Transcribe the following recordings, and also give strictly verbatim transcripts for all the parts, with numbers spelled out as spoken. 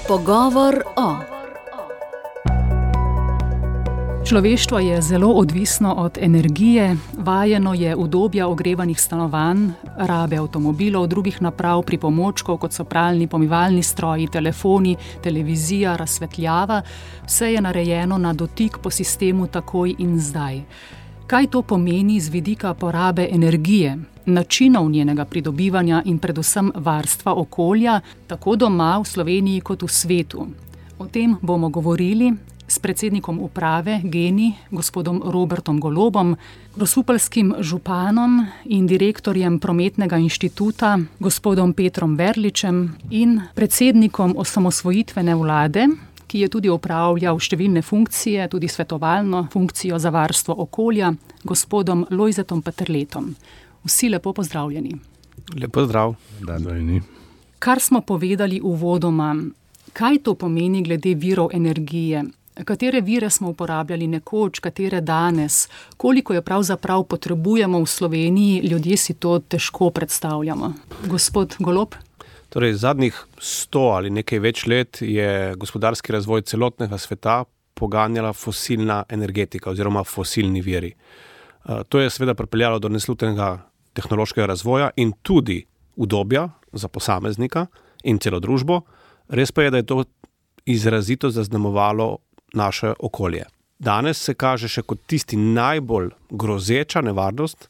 Pogovor o. Človeštvo je zelo odvisno od energije, vajeno je udobja ogrevanih stanovanj, rabe avtomobilov, drugih naprav, pripomočkov, kot so pralni, pomivalni stroji, telefoni, televizija, razsvetljava. Vse je narejeno na dotik po sistemu takoj in zdaj. Kaj to pomeni z vidika porabe energije, načinov njenega pridobivanja in predvsem varstva okolja, tako doma v Sloveniji kot v svetu? O tem bomo govorili s predsednikom uprave Gen-I, gospodom Robertom Golobom, grosupeljskim županom in direktorjem Prometnega inštituta, gospodom Petrom Verličem, in predsednikom osamosvojitvene vlade, ki je tudi opravljal številne funkcije, tudi svetovalno funkcijo za varstvo okolja, gospodom Lojzetom Peterletom. Vsi lepo pozdravljeni. Lepo zdrav. Kar smo povedali uvodoma, kaj to pomeni glede virov energije? Katere vire smo uporabljali nekoč, katere danes? Koliko je pravzaprav potrebujemo v Sloveniji? Ljudje si to težko predstavljamo. Gospod Golob? Torej, zadnjih sto ali nekaj več let je gospodarski razvoj celotnega sveta poganjala fosilna energetika oziroma fosilni viri. To je seveda pripeljalo do neslutnega tehnološkega razvoja in tudi udobja za posameznika in celo družbo. Res pa je, da je to izrazito zaznamovalo naše okolje. Danes se kaže še kot tisti najbolj grozeča nevarnost,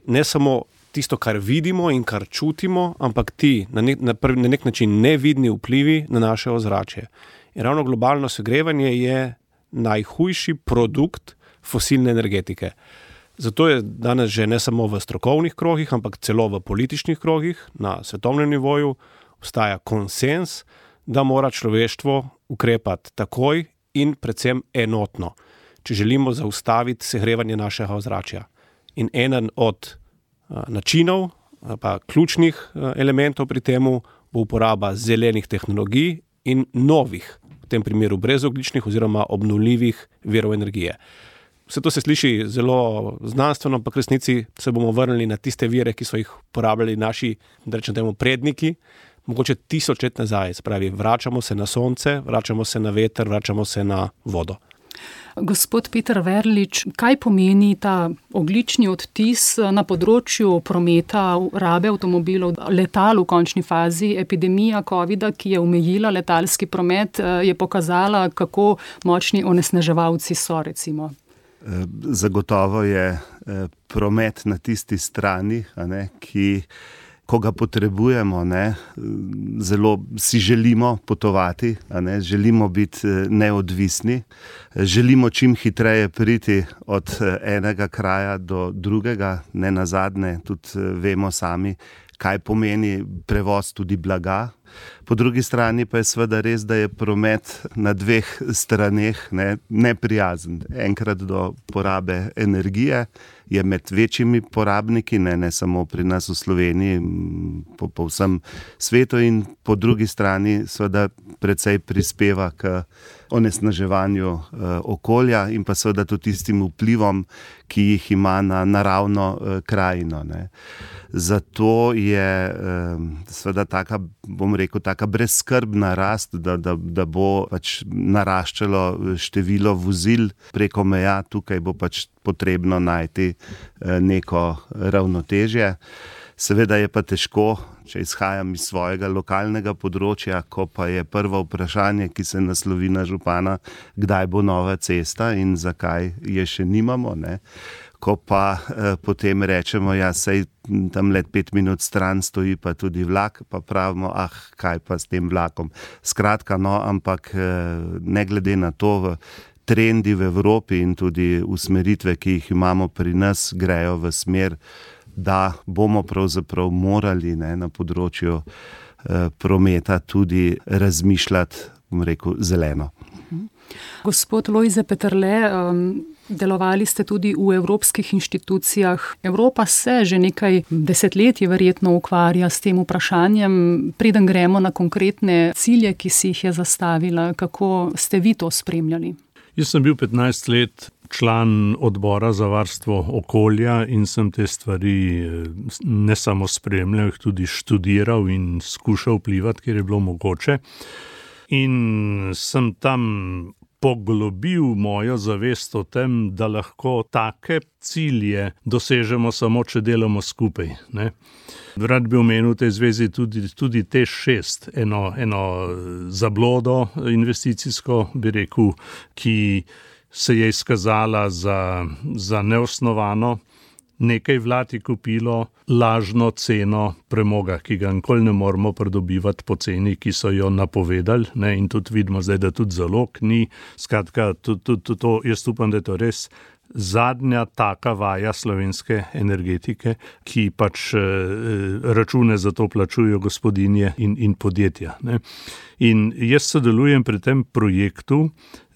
ne samo tisto, kar vidimo in kar čutimo, ampak ti na nek, na prvi, na nek način nevidni vplivi na naše ozračje. In ravno globalno segrevanje je najhujši produkt fosilne energetike. Zato je danes že ne samo v strokovnih krogih, ampak celo v političnih krogih na svetovnem nivoju obstaja konsens, da mora človeštvo ukrepati takoj in predvsem enotno, če želimo zaustaviti segrevanje našega ozračja. In eden od načinov, pa ključnih elementov pri temu bo uporaba zelenih tehnologij in novih, v tem primeru brezogljičnih oziroma obnovljivih virov energije. Vse to se sliši zelo znanstveno, ampak v resnici se bomo vrnili na tiste vire, ki so jih uporabljali naši, da rečem temu, predniki, mogoče tisoč let nazaj. Spravi, vračamo se na sonce, vračamo se na veter, vračamo se na vodo. Gospod Peter Verlič, kaj pomeni ta ogljični odtis na področju prometa, rabe avtomobilov, letal v končni fazi? Epidemija covida, ki je omejila letalski promet, je pokazala, kako močni onesnaževalci so, recimo. Zagotovo je promet na tisti strani, a ne, ki ko ga potrebujemo, ne, zelo si želimo potovati, a ne, želimo biti neodvisni, želimo čim hitreje priti od enega kraja do drugega, ne nazadnje, tudi vemo sami, kaj pomeni prevoz tudi blaga. Po drugi strani pa je seveda res, da je promet na dveh straneh ne, neprijazen. Enkrat do porabe energije je med večjimi porabniki, ne, ne samo pri nas v Sloveniji, po, po vsem svetu, in po drugi strani seveda precej prispeva k onesnaževanju eh, okolja in pa seveda tudi tistim vplivom, ki jih ima na naravno eh, krajino. Ne. Zato je eh, seveda taka, bom rekel, taka brezskrbna rast, da, da, da bo pač naraščalo število vozil preko meja. Tukaj bo pač potrebno najti eh, neko ravnotežje. Seveda je pa težko, če izhajam iz svojega lokalnega področja, ko pa je prvo vprašanje, ki se naslovi na župana, kdaj bo nova cesta in zakaj je še nimamo, ne. Ko pa eh, potem rečemo, ja, sej tam let pet minut stran stoji pa tudi vlak, pa pravimo, ah, kaj pa s tem vlakom. Skratka, no, ampak eh, ne glede na to, v trendi v Evropi in tudi usmeritve, ki jih imamo pri nas, grejo v smer, da bomo pravzaprav morali, ne, na področju eh, prometa tudi razmišljati, bom rekel, zeleno. Gospod Lojze Peterle, um, delovali ste tudi v evropskih inštitucijah. Evropa se že nekaj desetletij verjetno ukvarja s tem vprašanjem. Preden gremo na konkretne cilje, ki si jih je zastavila, kako ste vi to spremljali? Jaz sem bil petnajst let član odbora za varstvo okolja in sem te stvari ne samo spremljal, jih tudi študiral in skušal vplivati, kjer je bilo mogoče. in sem tam poglobil mojo zavest o tem, da lahko take cilje dosežemo samo, če delamo skupaj, ne. Rad bi omenil v tej zvezi tudi, tudi T E Š šest, eno, eno zablodo investicijsko, bi rekel, ki se je izkazala za, za neosnovano. Nekaj vlad je kupilo lažno ceno premoga, ki ga nikoli ne moremo pridobivati po ceni, ki so jo napovedali, ne, in tudi vidimo zdaj, da tudi zalog ni. Skratka, to, to, to, to, jaz upam, da je to res zadnja taka vaja slovenske energetike, ki pač eh, račune za to plačujo gospodinje in, in podjetja, ne. In jaz sodelujem pri tem projektu,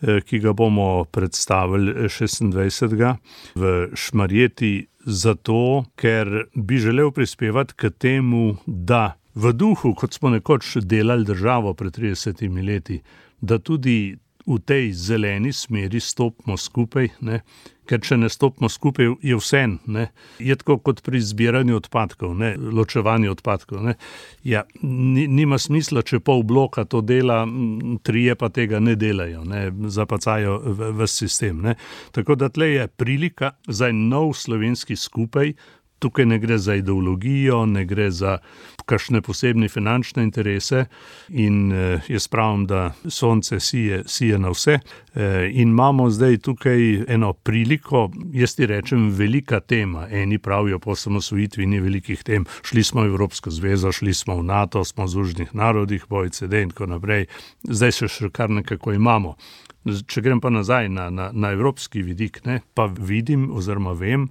eh, ki ga bomo predstavili šestindvajsetega v Šmarjeti, zato, ker bi želel prispevati k temu, da v duhu, kot smo nekoč delali državo pred tridesetimi leti, da tudi v tej zeleni smeri stopimo skupaj, ne? Ker če ne stopimo skupaj, je vseeno, ne? Je tako kot pri zbiranju odpadkov, ne? Ločevanju odpadkov, ne? Ja, ni, nima smisla, če pol bloka to dela, trije pa tega ne delajo, ne? Zapacajo v, v sistem, ne? Tako da tle je prilika za nov slovenski skupaj. Tukaj ne gre za ideologijo, ne gre za kakšne posebne finančne interese in eh, jaz pravim, da sonce sije, sije na vse. Eh, in imamo zdaj tukaj eno priliko, jaz ti rečem, velika tema. Eni pravijo, po osamosvojitvi ni velikih tem. Šli smo v Evropsko zvezo, šli smo v NATO, smo v Združenih narodih, v O E C D in tako naprej. Zdaj se še kar nekako imamo. Če grem pa nazaj na, na, na evropski vidik, ne, pa vidim oziroma vem,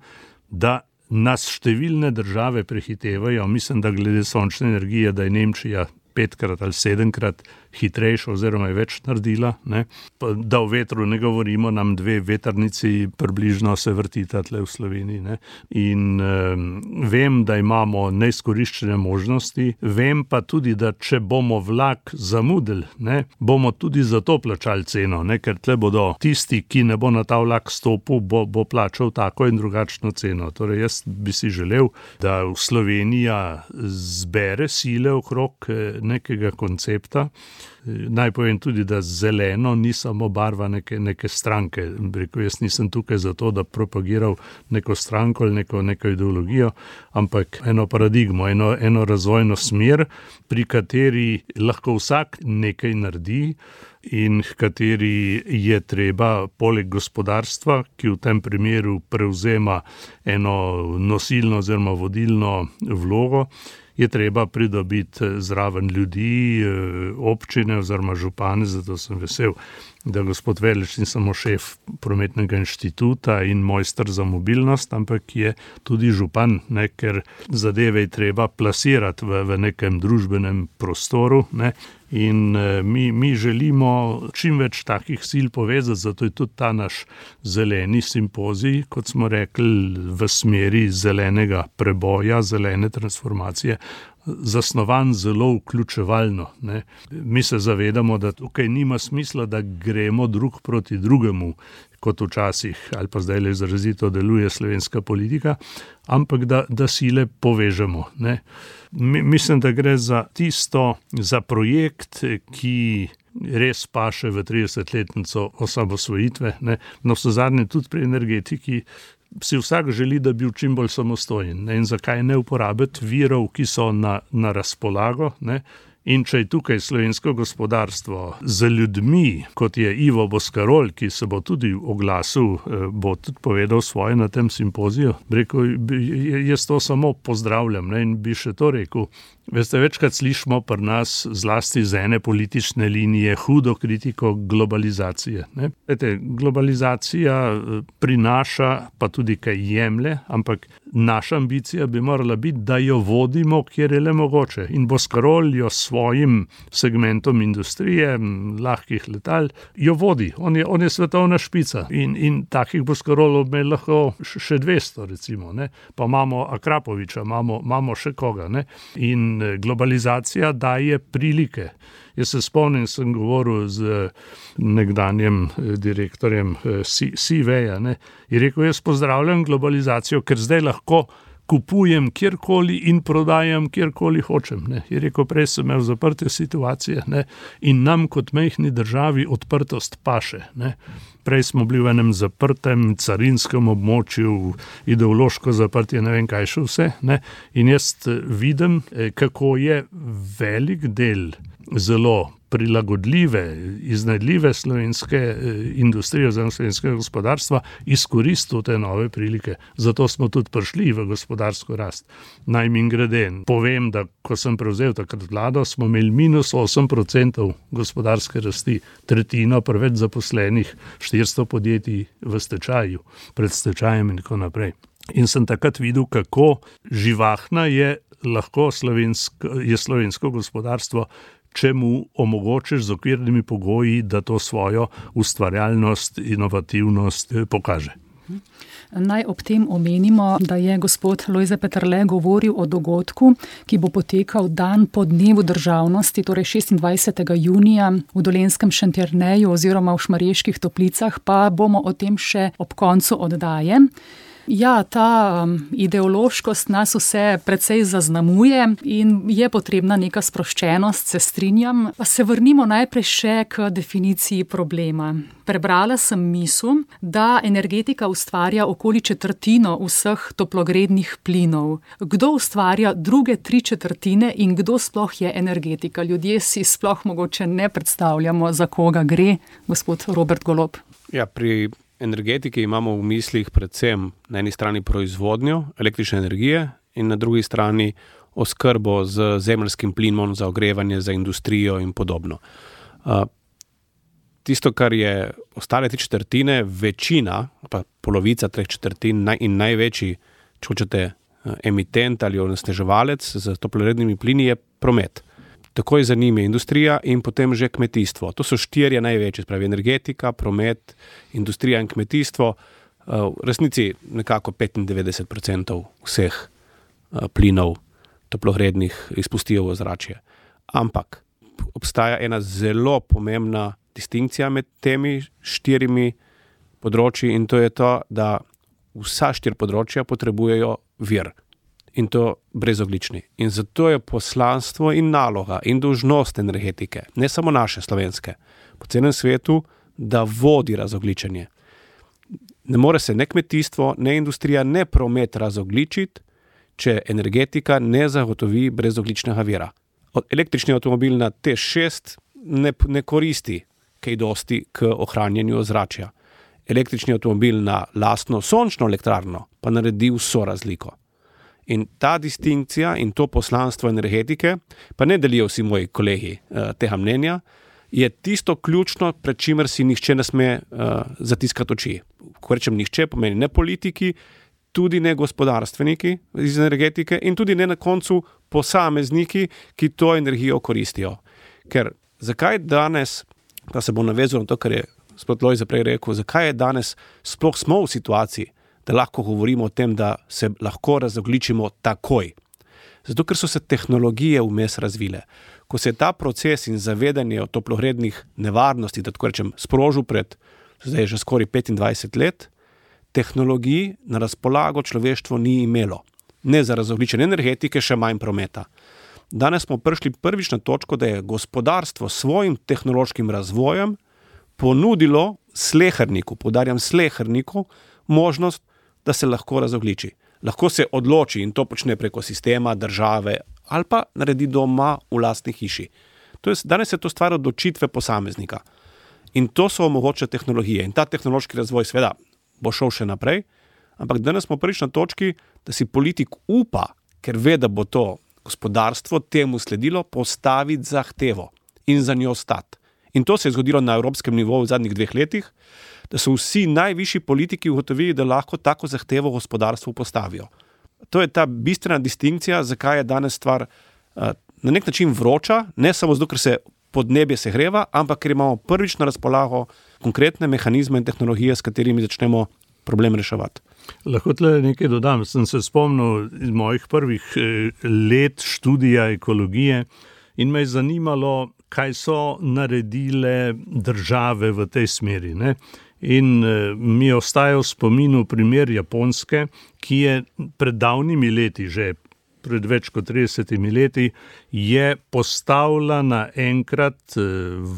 da nas številne države prehitevajo. Mislim, da glede sončne energije, da je Nemčija petkrat ali sedemkrat hitrejša oziroma je več naredila, ne. Da o vetru ne govorimo, nam dve vetrnici približno se vrtita tle v Sloveniji, ne. In um, vem, da imamo neizkoriščene možnosti, vem pa tudi, da če bomo vlak zamudili, ne, bomo tudi za to plačali ceno, ne, ker tle bodo tisti, ki ne bo na ta vlak stopil, bo, bo plačal tako in drugačno ceno. Torej, jaz bi si želel, da Slovenija zbere sile okrog nekega koncepta. Naj povem tudi, da zeleno ni samo barva neke, neke stranke. Rekel, jaz nisem tukaj zato, da propagiral neko stranko ali neko, neko ideologijo, ampak eno paradigmo, eno, eno razvojno smer, pri kateri lahko vsak nekaj naredi in v kateri je treba poleg gospodarstva, ki v tem primeru prevzema eno nosilno oziroma vodilno vlogo, je treba pridobiti zraven ljudi, občine oziroma župane, zato sem vesel, da gospod Verlič ni samo šef prometnega inštituta in mojster za mobilnost, ampak je tudi župan, ne, ker zadeve je treba plasirati v, v nekem družbenem prostoru, ne. In mi, mi želimo čim več takih sil povezati, zato je tudi ta naš zeleni simpozij, kot smo rekli, v smeri zelenega preboja, zelene transformacije, zasnovan zelo vključevalno, ne. Mi se zavedamo, da tukaj nima smisla, da gremo drug proti drugemu, kot včasih ali pa zdaj le izrazito deluje slovenska politika, ampak da, da sile povežemo, ne. Mislim, da gre za tisto, za projekt, ki res paše v tridesetletnico osamosvojitve, ne. No, vsezadnje tudi pri energetiki si vsak želi, da bi bil čim bolj samostojen, ne. In zakaj ne uporabiti virov, ki so na, na razpolago, ne. In če je tukaj slovensko gospodarstvo z ljudmi, kot je Ivo Boscarol, ki se bo tudi oglasil, bo tudi povedal svoje na tem simpoziju, rekel, jaz to samo pozdravljam, ne, in bi še to rekel. Veste, večkrat slišimo pri nas zlasti z ene politične linije hudo kritiko globalizacije, ne. Vete, globalizacija prinaša, pa tudi kaj jemlje, ampak naša ambicija bi morala biti, da jo vodimo, kjer je le mogoče. In Boscarol jo svojim segmentom industrije, lahkih letal, jo vodi. On je, on je svetovna špica. In, in takih Boscarolov me lahko še dvesto, recimo, ne. Pa imamo Akrapoviča, imamo, imamo še koga, ne. In globalizacija daje prilike. Jaz se spomnim, sem govoril z nekdanjem direktorjem C V-ja, ne, in rekel, jaz pozdravljam globalizacijo, ker zdaj lahko kupujem kjerkoli in prodajam kjerkoli hočem. Ne. Je rekel, prej sem imel zaprte situacije, ne, in nam kot majhni državi odprtost paše. Ne. Prej smo bili v enem zaprtem carinskem območju, ideološko zaprtje, ne vem kaj še vse. Ne. In jaz vidim, kako je velik del zelo prilagodljive, iznajdljive slovenske industrije oziroma slovenskega gospodarstva izkoristil te nove prilike. Zato smo tudi prišli v gospodarsko rast. Naj mimogrede povem, da ko sem prevzel takrat vlado, smo imeli minus osem procentov gospodarske rasti, tretjino preveč zaposlenih, štiristo podjetij v stečaju, pred stečajem in tako naprej. In sem takrat videl, kako živahna je lahko slovensko, je slovensko gospodarstvo, če mu omogočiš z okvirnimi pogoji, da to svojo ustvarjalnost, inovativnost pokaže. Naj ob tem omenimo, da je gospod Lojze Peterle govoril o dogodku, ki bo potekal dan po dnevu državnosti, torej šestindvajsetega junija v Dolenjskem Šentjerneju oziroma v Šmarjeških Toplicah, pa bomo o tem še ob koncu oddaje. Ja, ta um, ideološkost nas vse precej zaznamuje in je potrebna neka sproščenost, se strinjam. Pa se vrnimo najprej še k definiciji problema. Prebrala sem misel, da energetika ustvarja okoli četrtino vseh toplogrednih plinov. Kdo ustvarja druge tri četrtine in kdo sploh je energetika? Ljudje si sploh mogoče ne predstavljamo, za koga gre, gospod Robert Golob. Ja, pri energetiki imamo v mislih predvsem na eni strani proizvodnjo električne energije in na drugi strani oskrbo z zemeljskim plinom za ogrevanje, za industrijo in podobno. Tisto, kar je ostale tri četrtine, večina, pa polovica treh četrtin in največji, če hočete, emitent ali onesnaževalec z toplogrednimi plini je promet. Takoj za njim je industrija in potem že kmetijstvo. To so štirje največji, spravi energetika, promet, industrija in kmetijstvo. V resnici nekako petindevetdeset procentov vseh plinov toplogrednih izpustijo v ozračje. Ampak obstaja ena zelo pomembna distinkcija med temi štirimi področji in to je to, da vsa štiri področja potrebujejo vir. In to brezoglični. In zato je poslanstvo in naloga in dolžnost energetike, ne samo naše slovenske, po celem svetu, da vodi razogličenje. Ne more se ne kmetijstvo, ne industrija, ne promet razogličiti, če energetika ne zagotovi brezogličnega vira. Električni avtomobil na T šest ne, ne koristi kaj dosti k ohranjanju ozračja. Električni avtomobil na lastno sončno elektrarno pa naredi vso razliko. In ta distinkcija in to poslanstvo energetike, pa ne delijo vsi moji kolegi uh, tega mnenja, je tisto ključno, pred čimer si nihče ne sme uh, zatiskati oči. Ko rečem nihče, pomeni ne politiki, tudi ne gospodarstveniki iz energetike in tudi ne na koncu posamezniki, ki to energijo koristijo. Ker zakaj danes, pa se bo navezal na to, kar je gospod Lojze prej rekel, zakaj je danes sploh smo v situaciji, da lahko govorimo o tem, da se lahko razogličimo takoj. Zato, ker so se tehnologije vmes razvile. Ko se je ta proces in zavedanje o toplogrednih nevarnosti, da tako rečem, sprožil pred zdaj že skoraj petindvajset let, tehnologij na razpolago človeštvo ni imelo. Ne za razogličenje energetike, še manj prometa. Danes smo prišli prvič na točko, da je gospodarstvo s svojim tehnološkim razvojem ponudilo sleherniku, poudarjam sleherniku, možnost, da se lahko razogliči. Lahko se odloči in to počne preko sistema, države ali pa naredi doma v lastni hiši. To je, danes je to stvar odločitve posameznika. In to so omogočile tehnologije. In ta tehnološki razvoj seveda bo šel še naprej, ampak danes smo prvič na točki, da si politik upa, ker ve, da bo to gospodarstvo temu sledilo, postaviti zahtevo in za njo stati. In to se je zgodilo na evropskem nivoju v zadnjih dveh letih, da so vsi najvišji politiki ugotovili, da lahko tako zahtevo gospodarstvu postavijo. To je ta bistvena distinkcija, zakaj je danes stvar uh, na nek način vroča, ne samo zato, ker se podnebje segreva, ampak ker imamo prvič na razpolago konkretne mehanizme in tehnologije, s katerimi začnemo problem reševati. Lahko tle nekaj dodam. Sem se spomnil iz mojih prvih let študija ekologije in me je zanimalo, kaj so naredile države v tej smeri, ne? In mi ostaja v spominu primer Japonske, ki je pred davnimi leti, že pred več kot tridesetimi leti, je postavila naenkrat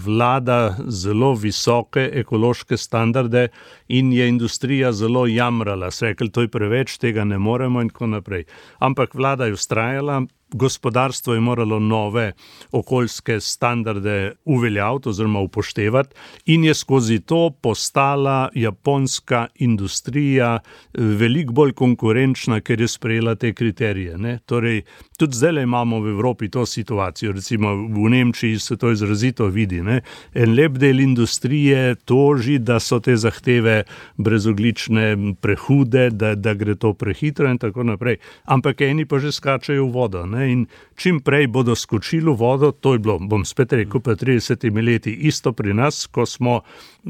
vlada zelo visoke ekološke standarde in je industrija zelo jamrala. Se rekli, to je preveč, tega ne moremo in tako naprej. Ampak vlada je vztrajala, gospodarstvo je moralo nove okoljske standarde uveljaviti oziroma upoštevati in je skozi to postala japonska industrija veliko bolj konkurenčna, ker je sprejela te kriterije. Ne? Torej, tudi zdaj imamo v Evropi to situacijo, recimo v Nemčiji se to izrazito vidi. Ne? En lep del industrije toži, da so te zahteve brezoglične prehude, da, da gre to prehitro in tako naprej. Ampak eni pa že skačajo v vodo. Ne? In čim prej bodo skočili v vodo, to je bilo, bom spet rekel, pa tridesetimi leti isto pri nas, ko smo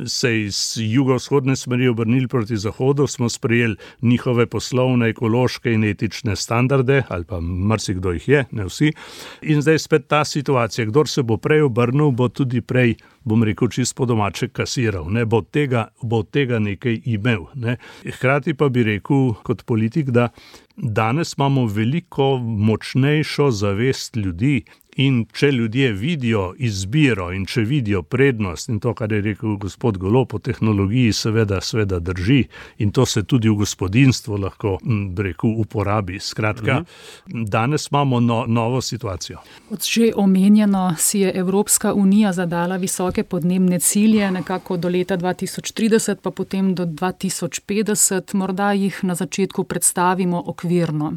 se iz jugovzhodne smeri obrnili proti zahodu, smo sprejeli njihove poslovne, ekološke in etične standarde, ali pa marsikdo jih je, ne vsi. In zdaj spet ta situacija, kdor se bo prej obrnil, bo tudi prej, bom rekel, čist po domače kasiral, ne, bo od tega, bo od tega nekaj imel. Ne. Hkrati pa bi rekel kot politik, da danes imamo veliko močnejšo zavest ljudi in če ljudje vidijo izbiro in če vidijo prednost in to, kar je rekel gospod Golob o tehnologiji, seveda, seveda drži in to se tudi v gospodinstvu lahko, rekel, uporabi. Skratka, mhm. danes imamo no, novo situacijo. Od že omenjeno si je Evropska unija zadala visoke podnebne cilje, nekako do leta dva tisoč trideset, pa potem do dva tisoč petdeset. Morda jih na začetku predstavimo okvirno.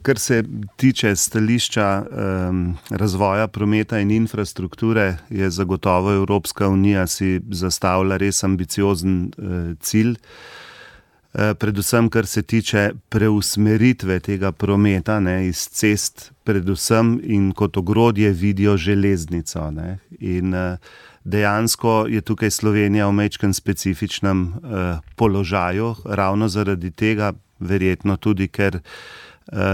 Kar se tiče stališča um, razvoja prometa in infrastrukture, je zagotovo Evropska unija si zastavila res ambiciozen uh, cilj. Uh, predvsem, kar se tiče preusmeritve tega prometa, ne, iz cest predvsem in kot ogrodje vidijo železnico. Ne. In uh, dejansko je tukaj Slovenija v majčkem specifičnem uh, položaju, ravno zaradi tega, verjetno tudi, ker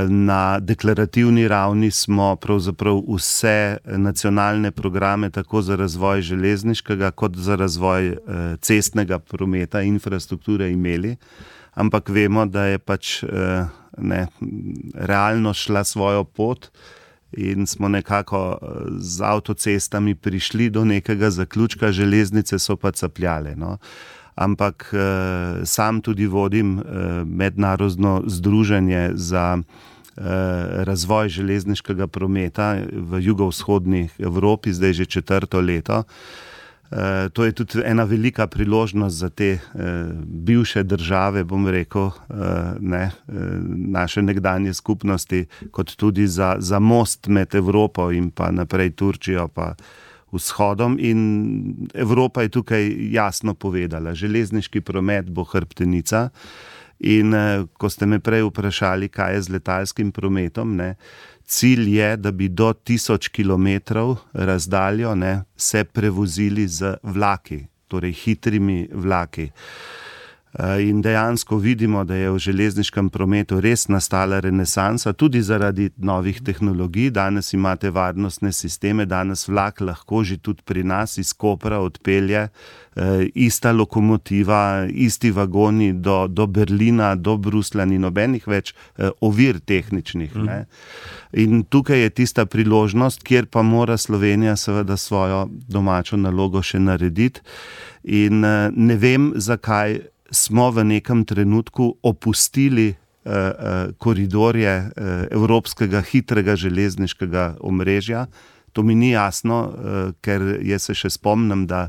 na deklarativni ravni smo pravzaprav vse nacionalne programe tako za razvoj železniškega kot za razvoj cestnega prometa, infrastrukture imeli, ampak vemo, da je pač ne, realno šla svojo pot in smo nekako z avtocestami prišli do nekega zaključka, železnice so pa capljale. No. Ampak eh, sam tudi vodim eh, mednarodno združenje za eh, razvoj železniškega prometa v jugovzhodni Evropi, zdaj že četrto leto. Eh, to je tudi ena velika priložnost za te eh, bivše države, bom rekel, eh, ne, eh, naše nekdanje skupnosti, kot tudi za, za most med Evropo in pa naprej Turčijo pa vzhodom, in Evropa je tukaj jasno povedala, železniški promet bo hrbtenica in ko ste me prej vprašali, kaj je z letalskim prometom, ne, cilj je, da bi do tisoč kilometrov razdaljo ne, se prevozili z vlaki, torej hitrimi vlaki. In dejansko vidimo, da je v železniškem prometu res nastala renesansa, tudi zaradi novih tehnologij. Danes imate varnostne sisteme, danes vlak lahko že tudi pri nas iz Kopra odpelje, ista lokomotiva, isti vagoni do, do Berlina, do Bruslja, ni nobenih več ovir tehničnih. Mm. Ne? In tukaj je tista priložnost, kjer pa mora Slovenija seveda svojo domačo nalogo še narediti. In ne vem, zakaj smo v nekem trenutku opustili uh, uh, koridorje uh, evropskega hitrega železniškega omrežja. To mi ni jasno, uh, ker jaz se še spomnim, da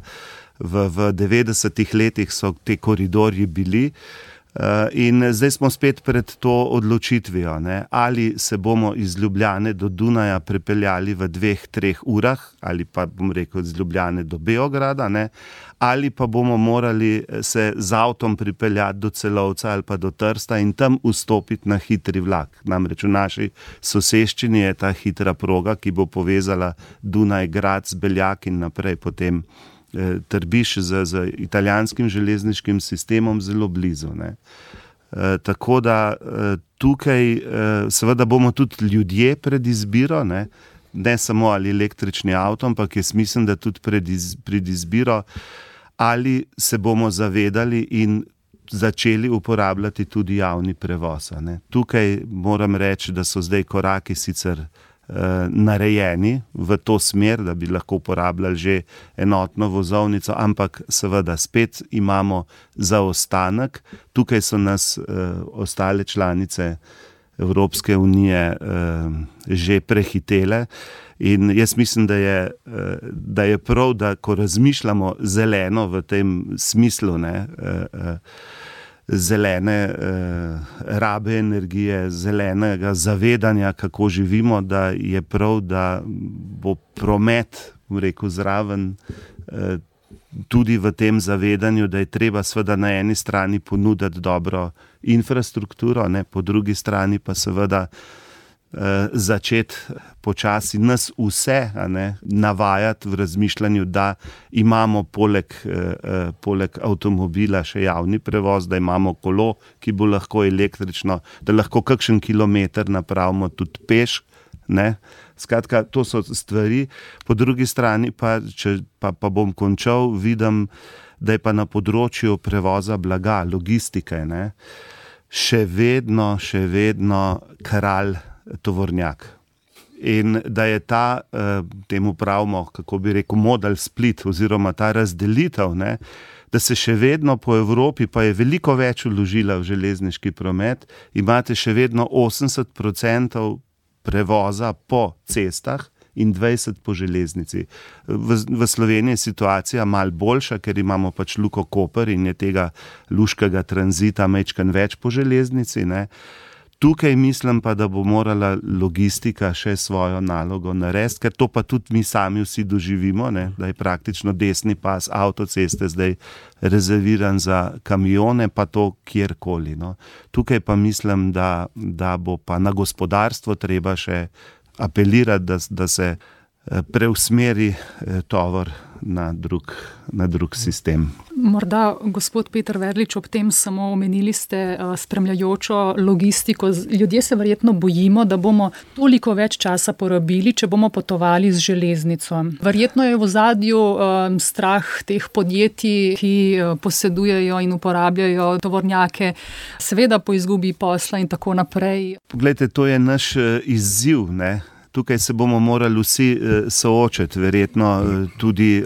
v, v devetdesetih letih so te koridorji bili. Uh, in zdaj smo spet pred to odločitvijo, ne? Ali se bomo iz Ljubljane do Dunaja prepeljali v dveh, treh urah, ali pa bom rekel iz Ljubljane do Beograda, ne? Ali pa bomo morali se z avtom pripeljati do Celovca ali pa do Trsta in tam vstopiti na hitri vlak. Namreč v naši soseščini je ta hitra proga, ki bo povezala Dunaj, Graz, Beljak in naprej potem Trbiš z, z italijanskim železniškim sistemom zelo blizu. Ne. E, tako da e, tukaj e, seveda bomo tudi ljudje pred izbiro, ne, ne samo ali električni avto, ampak jaz mislim, da tudi pred, iz, pred izbiro, ali se bomo zavedali in začeli uporabljati tudi javni prevoz. Ne. Tukaj moram reči, da so zdaj koraki sicer uh, narejeni v to smer, da bi lahko uporabljali že enotno vozovnico, ampak seveda spet imamo zaostanek. Tukaj so nas uh, ostale članice Evropske unije uh, že prehitele. In jaz mislim, da je, da je prav, da ko razmišljamo zeleno v tem smislu, ne, zelene rabe energije, zelenega zavedanja, kako živimo, da je prav, da bo promet, rekel, zraven tudi v tem zavedanju, da je treba seveda na eni strani ponuditi dobro infrastrukturo, ne, po drugi strani pa seveda začeti počasi nas vse, a ne, navajati v razmišljanju, da imamo poleg, eh, poleg avtomobila še javni prevoz, da imamo kolo, ki bo lahko električno, da lahko kakšen kilometer napravimo tudi peš. Ne? Skratka, to so stvari. Po drugi strani pa, če pa, pa bom končal, vidim, da je pa na področju prevoza blaga, logistike, ne, še vedno, še vedno kralj tovornjak. In da je ta, temu pravimo, kako bi rekel, model split oziroma ta razdelitev, ne, da se še vedno po Evropi, pa je veliko več vložila v železniški promet, imate še vedno osemdeset procentov prevoza po cestah in dvajset po železnici. V, v Sloveniji je situacija malo boljša, ker imamo pač Luko Koper in je tega luškega tranzita majčkeno več po železnici, ne. Tukaj mislim pa, da bo morala logistika še svojo nalogo narediti, ker to pa tudi mi sami vsi doživimo, ne, da je praktično desni pas avtoceste zdaj rezerviran za kamione, pa to kjerkoli. No. Tukaj pa mislim, da, da bo pa na gospodarstvo treba še apelirati, da, da se preusmeri tovor na drug, na drug sistem. Morda, gospod Peter Verlič, ob tem samo omenili ste spremljajočo logistiko. Ljudje se verjetno bojimo, da bomo toliko več časa porabili, če bomo potovali z železnico. Verjetno je v ozadju um, strah teh podjetij, ki posedujejo in uporabljajo tovornjake, seveda po izgubi posla in tako naprej. Poglejte, to je naš izziv, ne? Tukaj se bomo morali vsi soočiti, verjetno tudi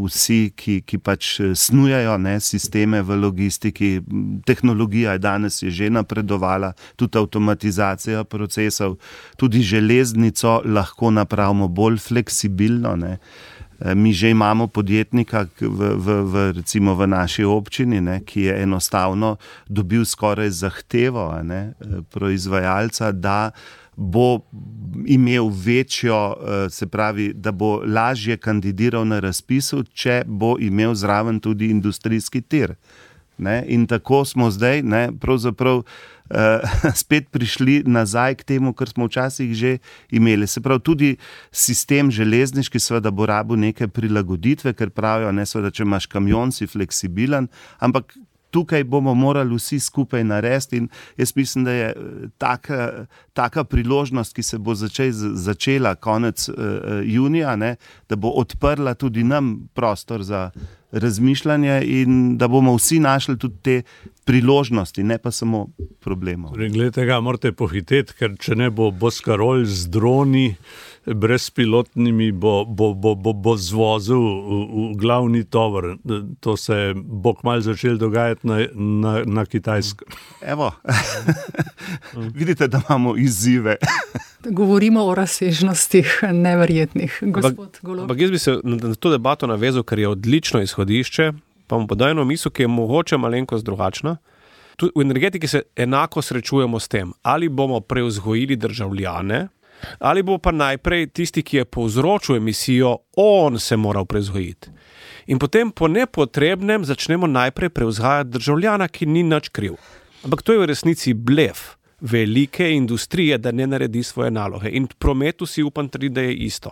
vsi, ki, ki pač snujajo, ne, sisteme v logistiki. Tehnologija je danes je že napredovala, tudi avtomatizacija procesov, tudi železnico lahko napravimo bolj fleksibilno, ne. Mi že imamo podjetnika v, v, v, recimo v naši občini, ne, ki je enostavno dobil skoraj zahtevo, ne, proizvajalca, da bo imel večjo, se pravi, da bo lažje kandidiral na razpisu, če bo imel zraven tudi industrijski tir. Ne? In tako smo zdaj, ne, pravzaprav uh, spet prišli nazaj k temu, kar smo včasih že imeli. Se pravi, tudi sistem železniški seveda bo rabil neke prilagoditve, ker pravijo, ne, seveda, če imaš kamion, si fleksibilen, ampak tukaj bomo morali vsi skupaj narediti in jaz mislim, da je taka, taka priložnost, ki se bo začej, začela konec uh, junija, ne, da bo odprla tudi nam prostor za razmišljanje in da bomo vsi našli tudi te priložnosti, ne pa samo problemov. Glede, morate pohiteti, ker če ne bo Boscarol z droni brezpilotnimi bo, bo, bo, bo, bo zvozil v, v glavni tovor. To se bo kmalu začelo dogajati na, na, na Kitajskem. Evo, vidite, da imamo izzive. Govorimo o razsežnostih neverjetnih, gospod Golob. Ampak jaz bi se na to debato navezal, ker je odlično izhodišče, pa mu podaj eno misel, ki je mogoče malenkost drugačna. Tudi v energetiki se enako srečujemo s tem, ali bomo prevzgojili državljane, ali bo pa najprej tisti, ki je povzročil emisijo, on se moral prevzgojiti. In potem po nepotrebnem začnemo najprej prevzgajati državljana, ki ni nič kriv. Ampak to je v resnici blef velike industrije, da ne naredi svoje naloge. In v prometu si upam trditi, da je isto.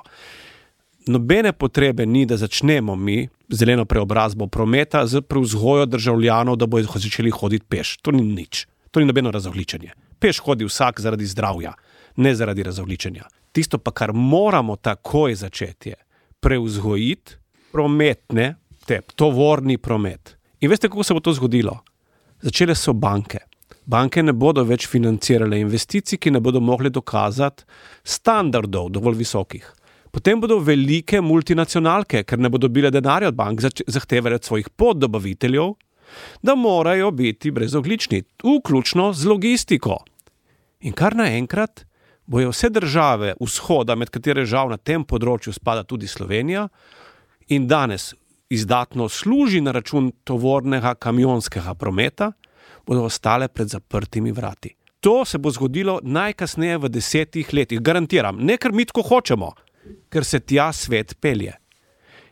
Nobene potrebe ni, da začnemo mi zeleno preobrazbo prometa z prevzgojo državljanov, da bodo začeli hoditi peš. To ni nič. To ni nobeno razogličenje. Peš hodi vsak zaradi zdravja, ne zaradi razogličenja. Tisto pa, kar moramo takoj začeti, je prevzgojiti prometne te, tovorni promet. In veste, kako se bo to zgodilo? Začele so banke. Banke ne bodo več financirale investicij, ki ne bodo mogli dokazati standardov dovolj visokih. Potem bodo velike multinacionalke, ker ne bodo dobile denarja od bank, zahtevale od svojih poddobaviteljev, da morajo biti brezogljični, vključno z logistiko. In kar naenkrat bojo vse države vzhoda, med katere žal na tem področju spada tudi Slovenija, in danes izdatno služi na račun tovornega kamionskega prometa, bodo ostale pred zaprtimi vrati. To se bo zgodilo najkasneje v desetih letih, garantiram. Ne, ker mi tako hočemo, ker se tja svet pelje.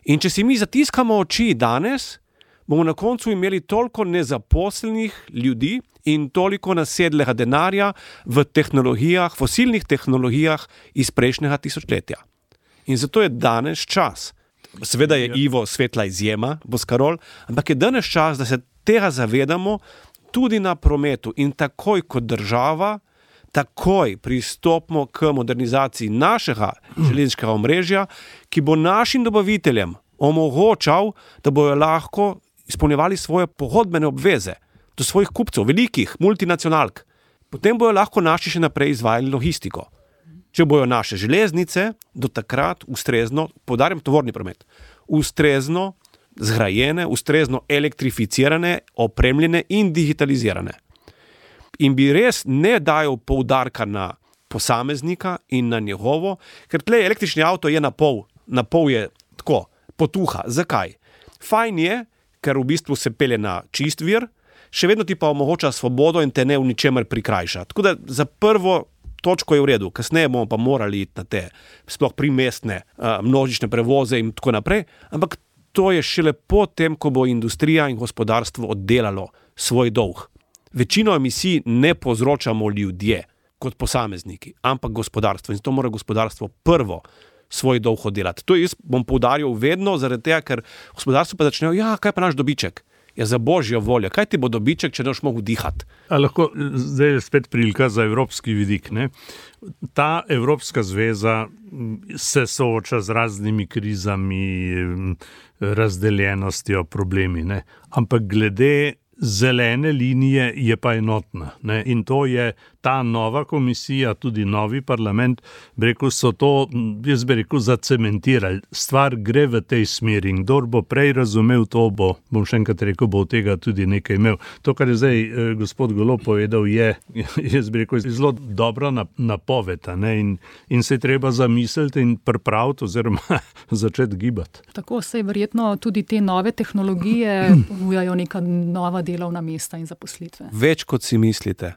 In če si mi zatiskamo oči danes, bomo na koncu imeli toliko nezaposlenih ljudi in toliko nasedlega denarja v tehnologijah, fosilnih tehnologijah iz prejšnjega tisočletja. In zato je danes čas. Seveda je Ivo svetla izjema, Boscarol, ampak je danes čas, da se tega zavedamo tudi na prometu in takoj kot država, takoj pristopimo k modernizaciji našega železniškega omrežja, ki bo našim dobaviteljem omogočal, da bojo lahko izpolnjevali svoje pogodbene obveze do svojih kupcev, velikih multinacionalk. Potem bojo lahko naši še naprej izvajali logistiko. Če bojo naše železnice do takrat ustrezno, poudarjam tovorni promet, ustrezno zgrajene, ustrezno elektrificirane, opremljene in digitalizirane. In bi res ne dajal poudarka na posameznika in na njegovo, ker tle električni avto je na pol, na pol je tako, potuha. Zakaj? Fajn je, ker v bistvu se pelje na čist vir, še vedno ti pa omogoča svobodo in te ne v ničemer prikrajša. Tako da za prvo točko je v redu, kasneje bomo pa morali iti na te sploh primestne uh, množične prevoze in tako naprej, ampak to je šele potem, ko bo industrija in gospodarstvo oddelalo svoj dolg. Večino emisij ne povzročamo ljudje kot posamezniki, ampak gospodarstvo. In zato mora gospodarstvo prvo svoj dolg oddelati. To jaz bom poudarjal vedno, zaradi tega, ker gospodarstvo pa začnejo, ja, kaj pa naš dobiček? Ja, za božjo voljo, kaj ti bo dobiček, če ne boš mogel dihati? A lahko, zdaj je spet prilika za evropski vidik, ne? Ta Evropska zveza se sooča z raznimi krizami, razdeljenostjo, problemi, ne? Ampak glede zelene linije je pa enotna, ne? In to je ta nova komisija, tudi novi parlament, bi rekel, so to, jaz bi rekel, zacementirali. Stvar gre v tej smeri in kdor bo prej razumel to, bo, bom še enkrat rekel, bo od tega tudi nekaj imel. To, kar je zdaj eh, gospod Golob povedal, je, jaz bi rekel, zelo dobra napoved, ne? In, in se je treba zamisliti in pripraviti oziroma začeti gibati. Tako se verjetno tudi te nove tehnologije ponujajo neka nova delovna mesta in zaposlitve. Več kot si mislite.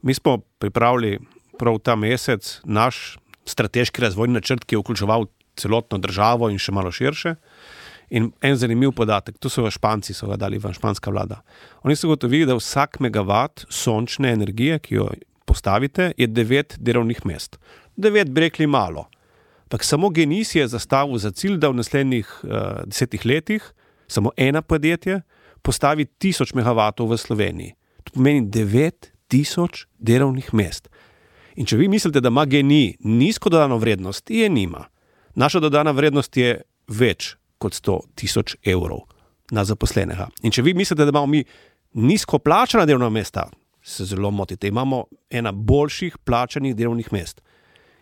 Mi smo pripravili prav ta mesec naš strateški razvojni načrt, ki je vključeval celotno državo in še malo širše. In en zanimiv podatek, to so Španci, so ga dali v španska vlada. Oni so gotovili, da vsak megavat sončne energije, ki jo postavite, je devet delovnih mest. Devet bi rekli malo. Ampak samo GENI si je zastavil za cilj, da v naslednjih uh, desetih letih samo eno podjetje postavi tisoč megavatov v Sloveniji. To pomeni devet tisoč delovnih mest. In če vi mislite, da ima GENI nizko dodano vrednost, je nima. Naša dodana vrednost je več kot sto tisoč evrov na zaposlenega. In če vi mislite, da imamo mi nizko plačana delovna mesta, se zelo motite. Imamo ena boljših plačanih delovnih mest.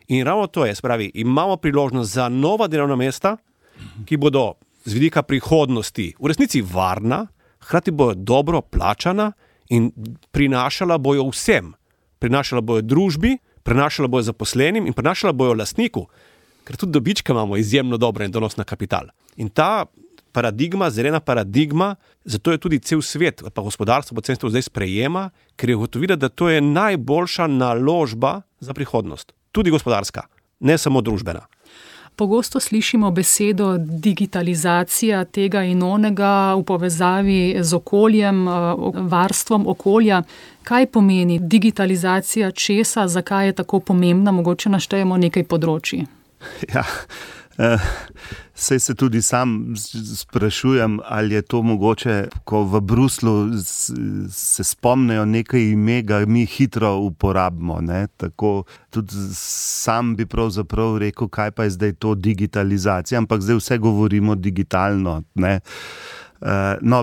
In ravno to je, spravi, imamo priložnost za nova delovna mesta, ki bodo z vidika prihodnosti v resnici varna, hkrati bojo dobro plačana in prinašala bojo vsem. Prinašala bojo družbi, prinašala bojo zaposlenim in prinašala bojo lastniku, ker tudi dobičke imamo izjemno dobro in donos na kapital. In ta paradigma, zelena paradigma, zato je tudi cel svet, pa gospodarstvo po celem svetu zdaj sprejema, ker je ugotovila, da to je najboljša naložba za prihodnost. Tudi gospodarska, ne samo družbena. Pogosto slišimo besedo digitalizacija tega in onega v povezavi z okoljem, varstvom okolja. Kaj pomeni digitalizacija česa, zakaj je tako pomembna? Mogoče naštejemo nekaj področij. Ja, eh, Sej se tudi sam sprašujem, ali je to mogoče, ko v Bruslu se spomnejo nekaj ime, ga mi hitro uporabimo. Ne? Tako tudi sam bi pravzaprav rekel, kaj pa je zdaj to digitalizacija, ampak zdaj vse govorimo digitalno. Ne? No,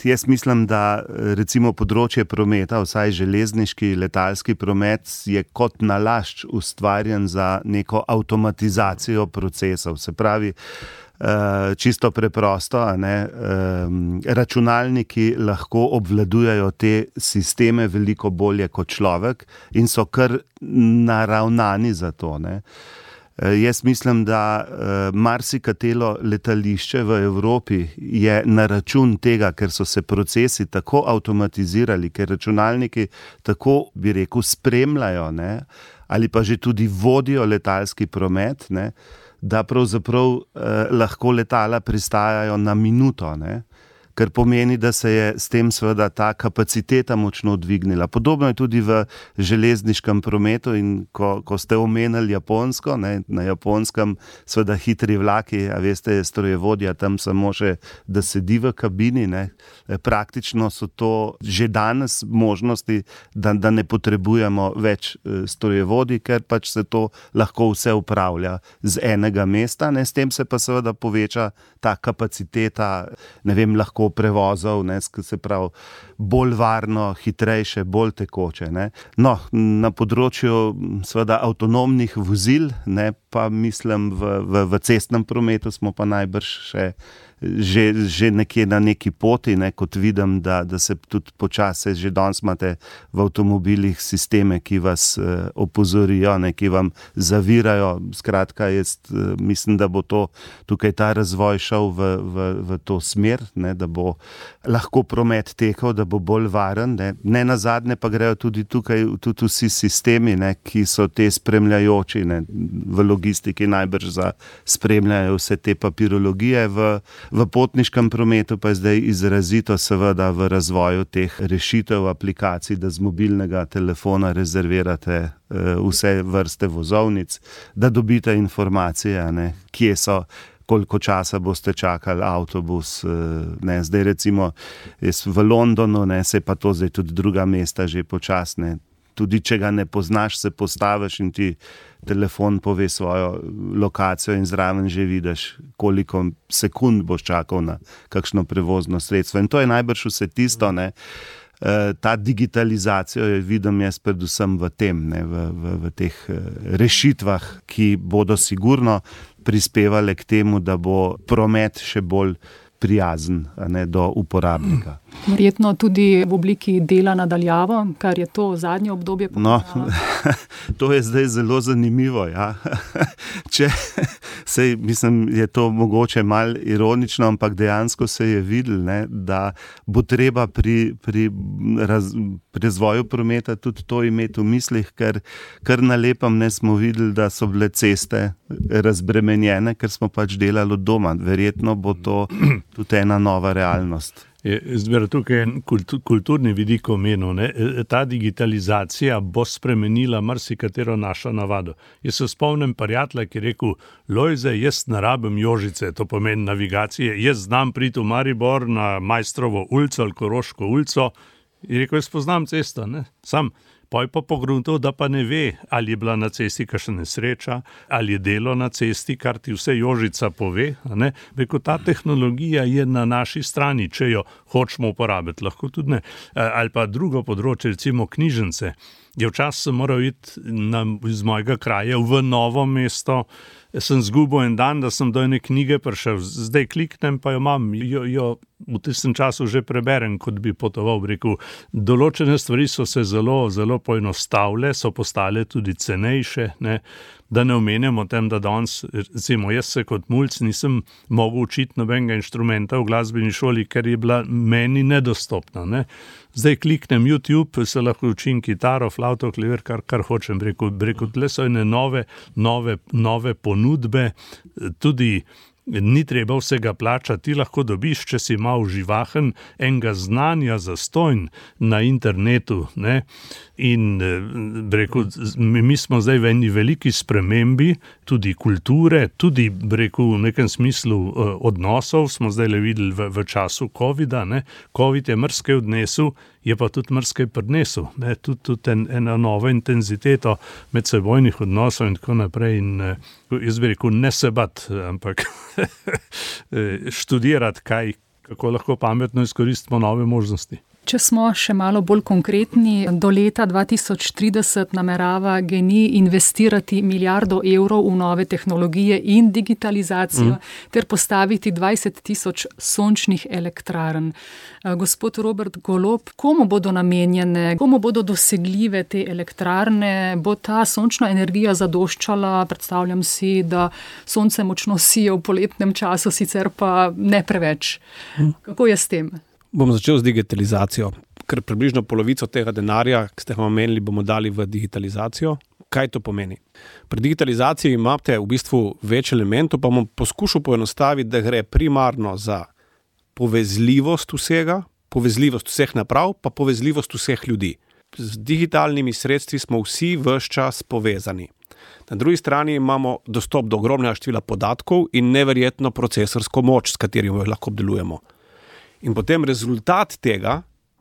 jaz mislim, da recimo področje prometa, vsaj železniški, letalski promet, je kot nalašč ustvarjen za neko avtomatizacijo procesov. Se pravi, čisto preprosto, a ne, računalniki lahko obvladujejo te sisteme veliko bolje kot človek in so kar naravnani za to, ne. Jaz mislim, da marsikatero letališče v Evropi je na račun tega, ker so se procesi tako avtomatizirali, ker računalniki tako, bi rekel, spremljajo, ne, ali pa že tudi vodijo letalski promet, ne, da pravzaprav eh, lahko letala pristajajo na minuto, ne. Kar pomeni, da se je s tem seveda ta kapaciteta močno dvignila. Podobno je tudi v železniškem prometu in ko, ko ste omenili Japonsko, ne, na Japonskem seveda hitri vlaki, a veste, je strojevodja tam samo še, da sedi v kabini, ne. Praktično so to že danes možnosti, da, da ne potrebujemo več strojevodij, ker pač se to lahko vse upravlja z enega mesta, ne. S tem se pa seveda poveča ta kapaciteta, ne vem, lahko prevozov, ne, se pravi, bolj varno, hitrejše, bolj tekoče, ne. No, na področju seveda avtonomnih vozil, ne, pa mislim v, v, v cestnem prometu smo pa najbrž še Že, že nekje na neki poti, ne, kot vidim, da, da se tudi počasi, že danes imate v avtomobilih sisteme, ki vas eh, opozorijo, ne, ki vam zavirajo. Skratka, jaz eh, mislim, da bo to, tukaj ta razvoj šel v, v, v to smer, ne, da bo lahko promet tekel, da bo bolj varen. Ne, ne nazadnje pa grejo tudi tukaj tudi vsi sistemi, ne, ki so te spremljajoči, ne, v logistiki najbrž za spremljajo vse te papirologije, v V potniškem prometu pa je zdaj izrazito seveda v razvoju teh rešitev, aplikacij, da z mobilnega telefona rezervirate vse vrste vozovnic, da dobite informacije, ne, kje so, koliko časa boste čakali avtobus. Ne, zdaj recimo jaz v Londonu, ne, se pa to zdaj tudi druga mesta že počasne. Tudi če ga ne poznaš, se postaviš in ti telefon pove svojo lokacijo in zraven že vidiš, koliko sekund boš čakal na kakšno prevozno sredstvo. In to je najbrž vse tisto, ne. Ta digitalizacijo je vidim jaz predvsem v tem, ne, v, v, v teh rešitvah, ki bodo sigurno prispevale k temu, da bo promet še bolj prijazen, ne, do uporabnika. Verjetno tudi v obliki dela nadaljavo, kar je to zadnje obdobje pokazalo. No, to je zdaj zelo zanimivo, ja. Če, sej, mislim, je to mogoče malo ironično, ampak dejansko se je videlo, ne, da bo treba pri, pri, raz, pri razvoju prometa tudi to imeti v mislih, ker kar na lepem ne smo videli, da so bile ceste razbremenjene, ker smo pač delali od doma. Verjetno bo to tudi ena nova realnost. Zbira tukaj kulturni vidik omenil, ne. Ta digitalizacija bo spremenila marsikatero našo navado. Jaz se spomnim prijatelja, ki je rekel, Lojze, jaz ne rabim Jožice, to pomeni navigacije, jaz znam priti v Maribor na Majstrovo ulico ali Koroško ulico, in rekel, jaz poznam cesto, ne, sam. Poj pa pogruntal, da pa ne ve, ali je bila na cesti kakšna nesreča, ali je delo na cesti, kar ti vse Jožica pove. Ne? Rekel, ta tehnologija je na naši strani, če jo hočemo uporabiti, lahko tudi ne. Ali pa drugo področje, recimo knjižnice. Je včasih sem moral iti na, iz mojega kraja v Novo mesto, sem zgubil en dan, da sem do ene knjige prišel, zdaj kliknem, pa jo imam, jo, jo v tistem času že preberem, kot bi potoval, rekel. Določene stvari so se zelo, zelo poenostavile, so postale tudi cenejše, ne? Da ne omenjamo tem, da danes, recimo, jaz se kot mulc nisem mogel učiti nobenega inštrumenta v glasbeni šoli, ker je bila meni nedostopna, ne? Zdaj kliknem YouTube, se lahko učim kitaro, flavto, klaver, kar, kar hočem, rekel, rekel, tle so ene nove, nove, nove ponudbe, tudi Ni treba vsega plačati, ti lahko dobiš, če si malo živahen, enega znanja zastojn na internetu. Ne? In rekel, mi smo zdaj v eni veliki spremembi, tudi kulture, tudi rekel, v nekem smislu odnosov, smo zdaj le videli v, v času covida. Ne? Covid je mrskej odnesel, je pa tudi mrskej prinesel. Ne? Tudi, tudi en, ena nova intenziteto medsebojnih odnosov in tako naprej. In, jaz bi rekel, ne se bat, ampak študirati, kaj, kako lahko pametno izkoristimo nove možnosti. Če smo še malo bolj konkretni, do leta dva tisoč trideset namerava GEN-I investirati milijardo evrov v nove tehnologije in digitalizacijo mm. ter postaviti dvajset tisoč sončnih elektrarn. Gospod Robert Golob, komu bodo namenjene, komu bodo dosegljive te elektrarne? Bo ta sončna energija zadoščala? Predstavljam si, da sonce močno sije v poletnem času, sicer pa ne preveč. Mm. Kako je s tem? Bom začel z digitalizacijo, ker približno polovico tega denarja, ki ste ga omenili, bomo dali v digitalizacijo. Kaj to pomeni? Pri digitalizaciji imate v bistvu več elementov, pa bom poskušal poenostaviti, da gre primarno za povezljivost vsega, povezljivost vseh naprav, pa povezljivost vseh ljudi. Z digitalnimi sredstvi smo vsi ves čas povezani. Na drugi strani imamo dostop do ogromnega števila podatkov in neverjetno procesorsko moč, s katerim jih lahko obdelujemo. In potem rezultat tega,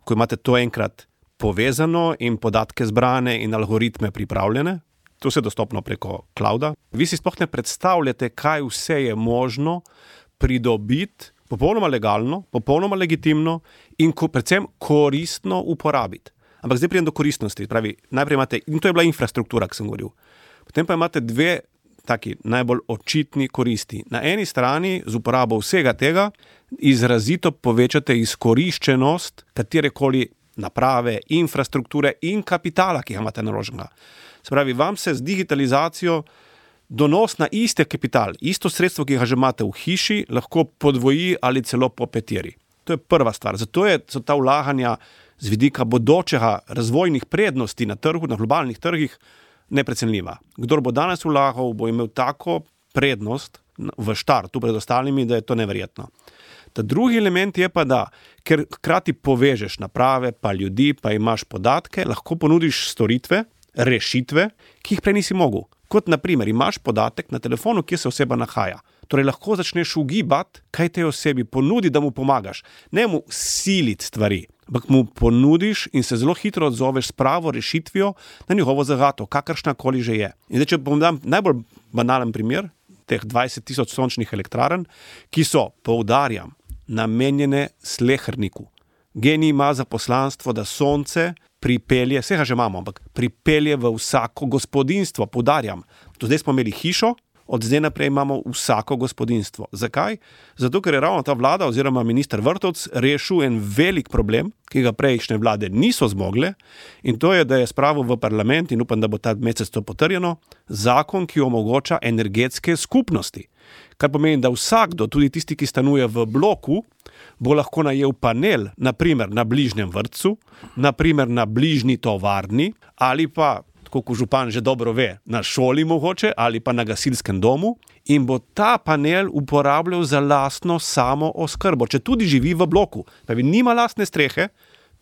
ko imate to enkrat povezano in podatke zbrane in algoritme pripravljene, to se dostopno preko clouda, vi si sploh ne predstavljate, kaj vse je možno pridobiti, popolnoma legalno, popolnoma legitimno in ko, predvsem koristno uporabiti. Ampak zdaj pridem do koristnosti. Pravi, najprej imate, in to je bila infrastruktura, ki sem govoril. Potem pa imate dve taki najbolj očitni koristi. Na eni strani z uporabo vsega tega izrazito povečate izkoriščenost katerekoli naprave, infrastrukture in kapitala, ki ga imate naloženega. Se pravi, vam se z digitalizacijo donos na iste kapital, isto sredstvo, ki ga že imate v hiši, lahko podvoji ali celo popetiri. To je prva stvar. Zato je, so ta vlaganja z vidika bodočega razvojnih prednosti na trgu, na globalnih trgih, neprecenljiva. Kdor bo danes vlagal, bo imel tako prednost v štartu pred ostalimi, da je to neverjetno. Ta drugi element je pa, da ker hkrati povežeš naprave, pa ljudi, pa imaš podatke, lahko ponudiš storitve, rešitve, ki jih prej nisi mogel. Kot na primer, imaš podatek na telefonu, kje se oseba nahaja. Torej lahko začneš ugibati, kaj tej osebi ponudi, da mu pomagaš. Ne mu siliti stvari, ampak mu ponudiš in se zelo hitro odzoveš s pravo rešitvijo na njegovo zagato, kakršnakoli že je. In zdaj, če bom dam najbolj banalen primer, teh dvajset tisoč sončnih elektrarn, ki so, poudarjam, namenjene sleherniku. GEN-I ima za poslanstvo, da sonce pripelje, vsega že imamo, ampak pripelje v vsako gospodinjstvo, poudarjam. Do zdaj smo imeli hišo, od zdaj naprej imamo vsako gospodinjstvo. Zakaj? Zato, ker je ravno ta vlada oziroma minister Vrtovec rešil en velik problem, ki ga prejšnje vlade niso zmogle, in to je, da je spravil v parlament, in upam, da bo ta mesec to potrjeno, zakon, ki omogoča energetske skupnosti. Kar pomeni, da vsakdo, tudi tisti, ki stanuje v bloku, bo lahko najel panel, naprimer na bližnjem vrtcu, naprimer na bližnji tovarni, ali pa, tako kot župan že dobro ve, na šoli mogoče, ali pa na gasilskem domu, in bo ta panel uporabljal za lastno samo oskrbo, če tudi živi v bloku. Pravi, nima lastne strehe,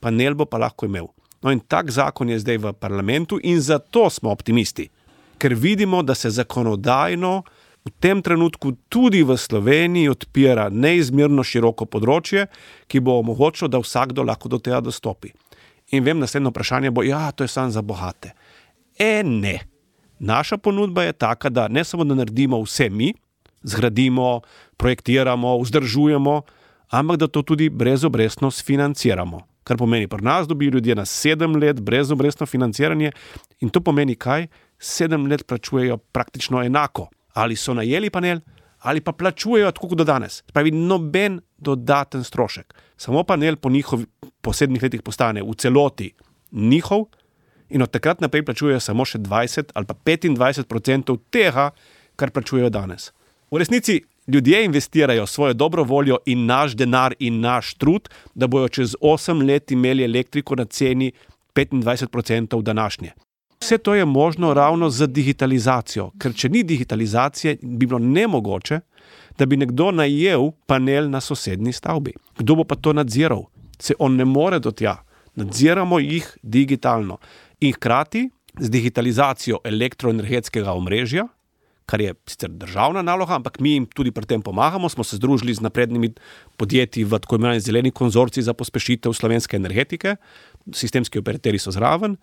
panel bo pa lahko imel. No in tak zakon je zdaj v parlamentu in zato smo optimisti, ker vidimo, da se zakonodajno v tem trenutku tudi v Sloveniji odpira neizmerno široko področje, ki bo omogočilo, da vsakdo lahko do tega dostopi. In vem, naslednje vprašanje bo, ja, to je samo za bogate. E, ne. Naša ponudba je taka, da ne samo da naredimo vse mi, zgradimo, projektiramo, vzdržujemo, ampak da to tudi brezobrestno sfinanciramo. Kar pomeni, pri nas dobijo ljudje na sedem let brezobrestno financiranje in to pomeni kaj? Sedem let plačujejo praktično enako. Ali so najeli panel, ali pa plačujejo tako kot do danes. Pravi, noben dodaten strošek. Samo panel po njihovih posebnih letih postane v celoti njihov in od takrat naprej plačujejo samo še dvajset ali pa petindvajset procentov tega, kar plačujejo danes. V resnici ljudje investirajo svojo dobro voljo in naš denar in naš trud, da bojo čez osem let imeli elektriko na ceni petindvajset procentov današnje. Vse to je možno ravno z digitalizacijo, ker če ni digitalizacije, bi bilo nemogoče, da bi nekdo najel panel na sosednji stavbi. Kdo bo pa to nadziral? Se on ne more do tja. Nadziramo jih digitalno. In hkrati z digitalizacijo elektroenergetskega omrežja, kar je sicer državna naloga, ampak mi jim tudi pri tem pomagamo, smo se združili z naprednimi podjetji v tako imenovani zeleni konzorcij za pospešitev slovenske energetike, sistemski operaterji so zraven,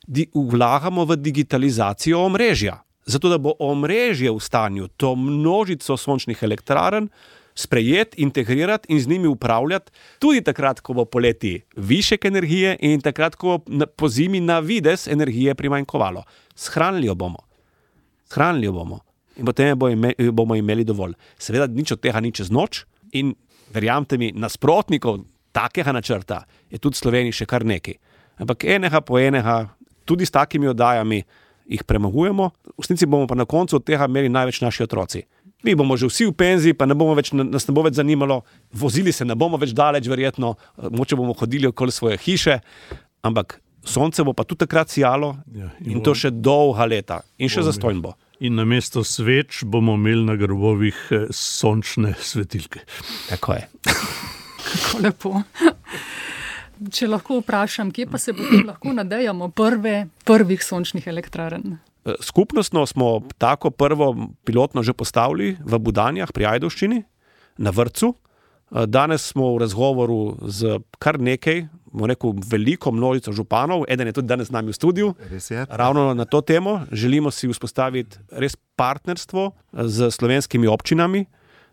di, vlagamo v digitalizacijo omrežja, zato da bo omrežje v stanju to množico sončnih elektrarn sprejeti, integrirati in z njimi upravljati tudi takrat, ko bo poleti višek energije in takrat, ko bo po zimi na vides energije primanjkovalo. Shranili jo bomo. Hranili jo bomo in potem bo ime, bomo imeli dovolj. Seveda nič od tega ni čez noč in verjamte mi, nasprotnikov takega načrta je tudi v Sloveniji še kar nekaj. Ampak enega po enega, tudi s takimi oddajami jih premagujemo, v resnici bomo pa na koncu od tega imeli največ naši otroci. Mi bomo že vsi v penziji, pa ne bomo več, nas ne bo več zanimalo, vozili se ne bomo več daleč verjetno, moče bomo hodili okoli svoje hiše, ampak sonce bo pa tudi takrat sijalo ja, in, in to še dolga leta in še zastonj bo. In namesto sveč bomo imeli na grobovih sončne svetilke. Tako je. Kako lepo. Če lahko vprašam, kje pa se potem lahko nadejamo prve, prvih sončnih elektrarn? Skupnostno smo tako prvo pilotno že postavili v Budanjah pri Ajdovščini, na vrtcu. Danes smo v razgovoru z kar nekaj, bomo rekel, veliko množico županov, eden je tudi danes z nami v studiu, ravno na to temo. Želimo si vzpostaviti res partnerstvo z slovenskimi občinami,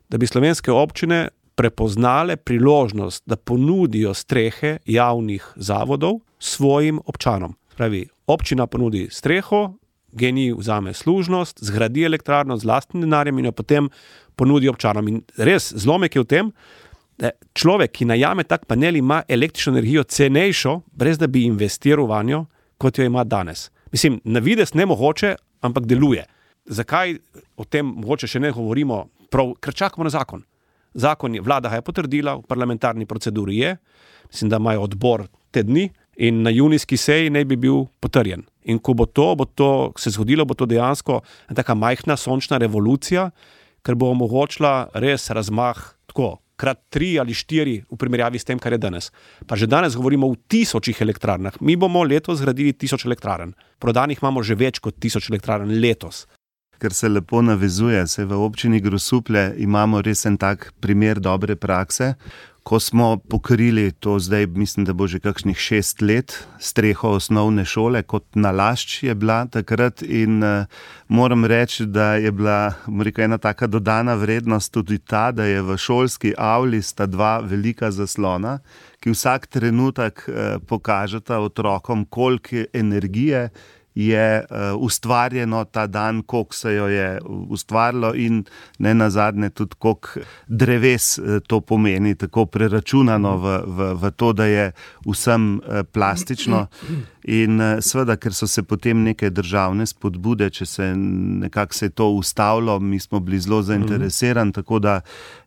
da bi slovenske občine prepoznale priložnost, da ponudijo strehe javnih zavodov svojim občanom. Pravi, občina ponudi streho, G N I vzame služnost, zgradi elektrarno z lastnim denarjem in jo potem ponudi občanom. In res zlomek je v tem, da človek, ki najame tak panel, ima električno energijo cenejšo, brez da bi investiral vanjo, kot jo ima danes. Mislim, na vides nemogoče, ampak deluje. Zakaj o tem mogoče še ne govorimo? Prav, ker čakamo na zakon. Zakon je, vlada ga je potrdila, v parlamentarni proceduri je, mislim, da imajo odbor te dni in na junijski seji naj bi bil potrjen. In ko bo to, bo to se zgodilo, bo to dejansko taka majhna sončna revolucija, ker bo omogočila res razmah tako, krat tri ali štiri v primerjavi s tem, kar je danes. Pa že danes govorimo o tisočih elektrarnah. Mi bomo letos zgradili tisoč elektrarn. Prodanih imamo že več kot tisoč elektrarn letos. Ker se lepo navezuje, se v občini Grosuplje imamo res en tak primer dobre prakse, ko smo pokrili to zdaj, mislim, da bo že kakšnih šest let, streho osnovne šole, kot nalašč je bila takrat in uh, moram reči, da je bila rekel, ena taka dodana vrednost tudi ta, da je v šolski avli sta dva velika zaslona, ki vsak trenutek uh, pokažeta otrokom, koliko energije je uh, ustvarjeno ta dan, koliko se jo je ustvarilo in ne nazadnje tudi koliko dreves uh, to pomeni, tako preračunano v, v, v to, da je vsem uh, plastično. In uh, seveda, ker so se potem neke državne spodbude, če se nekako se je to ustavilo, mi smo bili zelo zainteresirani, mm. tako da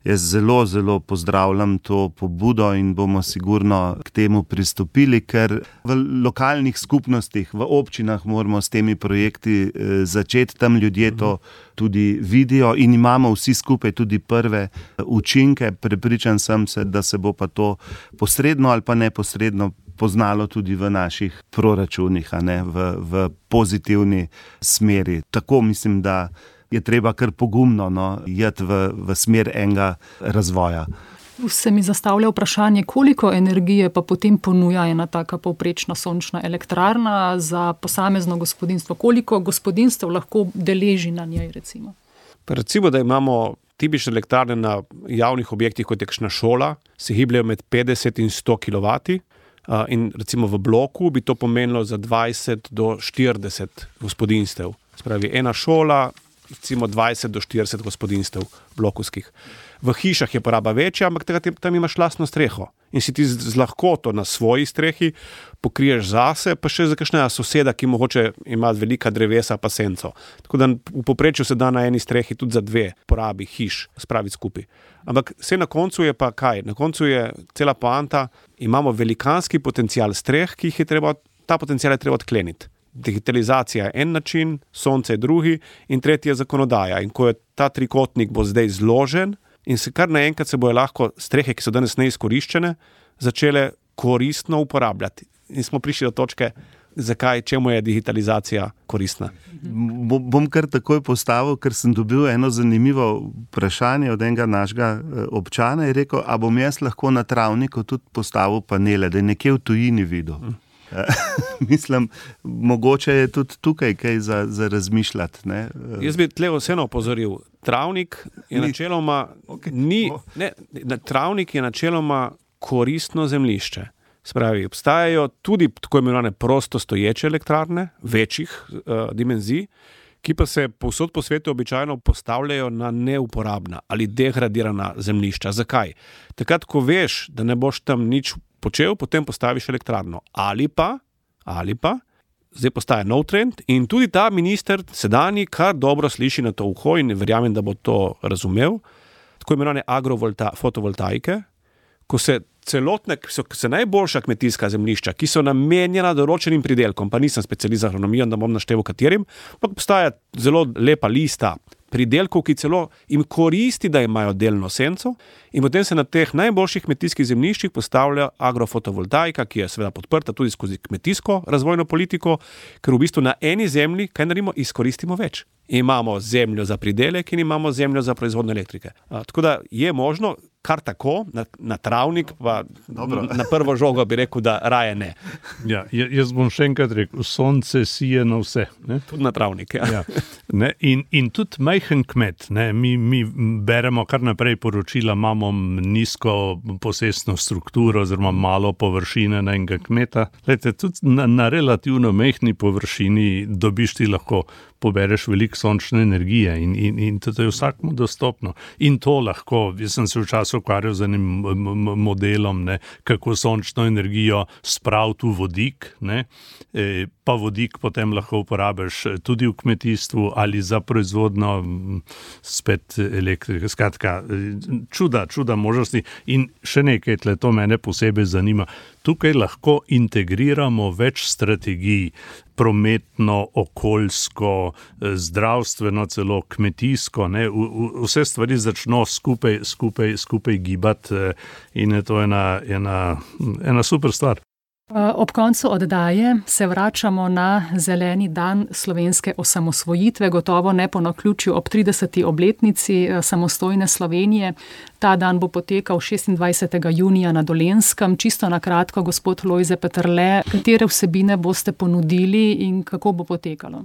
jaz zelo, zelo pozdravljam to pobudo in bomo sigurno k temu pristopili, ker v lokalnih skupnostih, v občinah moramo s temi projekti eh, začeti, tam ljudje to tudi vidijo in imamo vsi skupaj tudi prve učinke. Prepričan sem se, da se bo pa to posredno ali pa neposredno poznalo tudi v naših proračunih, a ne, v, v pozitivni smeri. Tako mislim, da je treba kar pogumno no, jeti v, v smer enega razvoja. Se mi zastavlja vprašanje, koliko energije pa potem ponuja ena taka povprečna sončna elektrarna za posamezno gospodinjstvo? Koliko gospodinjstev lahko deleži na njej, recimo? Pa recimo, da imamo tipične elektrarne na javnih objektih, kot je kakšna šola, se gibljajo med petdeset in sto kilovatov. Uh, in recimo v bloku bi to pomenilo za dvajset do štirideset gospodinjstev. Spravi, ena šola, recimo dvajset do štirideset gospodinjstev blokovskih. V hišah je poraba večja, ampak tega, tam imaš lastno streho. In si ti z, z lahkoto na svoji strehi pokriješ zase, pa še za kakšnega soseda, ki mogoče ima velika drevesa pa senco. Tako da v povprečju se da na eni strehi tudi za dve porabi hiš spraviti skupaj. Ampak vse na koncu je pa kaj? Na koncu je cela poanta, imamo velikanski potencial streh, ki jih je treba, ta potencial je treba odkleniti. Digitalizacija je en način, sonce je drugi in tretji je zakonodaja. In ko je ta trikotnik bo zdaj zložen in se kar naenkrat se bojo lahko strehe, ki so danes neizkoriščene, začele koristno uporabljati. In smo prišli do točke, zakaj, čemu je digitalizacija koristna. Bom kar takoj postavil, ker sem dobil eno zanimivo vprašanje od enega našega občana in rekel, a bom jaz lahko na travniku tudi postavil panele, da je nekje v tujini videl. Hmm. Mislim, mogoče je tudi tukaj kaj za, za razmišljati. Ne? Jaz bi tle vseeno opozoril. Travnik je ni. načeloma okay. ni, ne, travnik je načeloma koristno zemljišče. Spravi, obstajajo tudi tako imenovane prosto stoječe elektrarne, večjih uh, dimenzij, ki pa se povsod po svetu običajno postavljajo na neuporabna ali degradirana zemljišča. Zakaj? Takrat, ko veš, da ne boš tam nič počel, potem postaviš elektrarno. Ali pa, ali pa, zdaj postaja nov trend in tudi ta minister sedanji kar dobro sliši na to uho in verjamem, da bo to razumel, tako imenovane agrofotovoltaike, ko se celotne, so se najboljša kmetijska zemljišča, ki so namenjena določenim pridelkom, pa nisem specialist za agronomijo, da bom naštel katerim, pa obstaja zelo lepa lista pridelkov, ki celo jim koristi, da imajo delno senco in potem se na teh najboljših kmetijskih zemljiščih postavlja agrofotovoltaika, ki je seveda podprta tudi skozi kmetijsko razvojno politiko, ker v bistvu na eni zemlji, kaj naredimo, izkoristimo več. Imamo zemljo za pridelek in imamo zemljo za proizvodnjo elektrike. A, tako da je možno kar tako, na, na travnik, pa na prvo žogo bi rekel, da raje ne. Ja, jaz bom še enkrat rekel, sonce sije na vse. Ne? Tudi na travnik, ja. ja. Ne? In, in tudi majhen kmet, ne? Mi, mi beremo kar naprej poročila, imamo nizko posestno strukturo oziroma malo površine na enega kmeta. Lejte, tudi na, na relativno majhni površini dobiš ti lahko pobereš veliko sončne energije in, in, in to je vsakmu dostopno. In to lahko, jaz sem se včasih ukvarjal z enim modelom, ne, kako sončno energijo spraviti v vodik, ne, e, pa vodik potem lahko uporabiš tudi v kmetijstvu ali za proizvodno spet elektrike. Skratka, čuda, čuda možnosti in še nekaj, tle, to mene posebej zanima. Tukaj lahko integriramo več strategij, prometno, okoljsko, zdravstveno, celo kmetijsko, ne, vse stvari začno skupaj, skupaj, skupaj gibati in je to ena, ena, ena super stvar. Ob koncu oddaje se vračamo na zeleni dan slovenske osamosvojitve, gotovo ne po naključju ob trideseti obletnici samostojne Slovenije. Ta dan bo potekal šestindvajsetega junija na Dolenjskem. Čisto na kratko, gospod Lojze Peterle, katere vsebine boste ponudili in kako bo potekalo?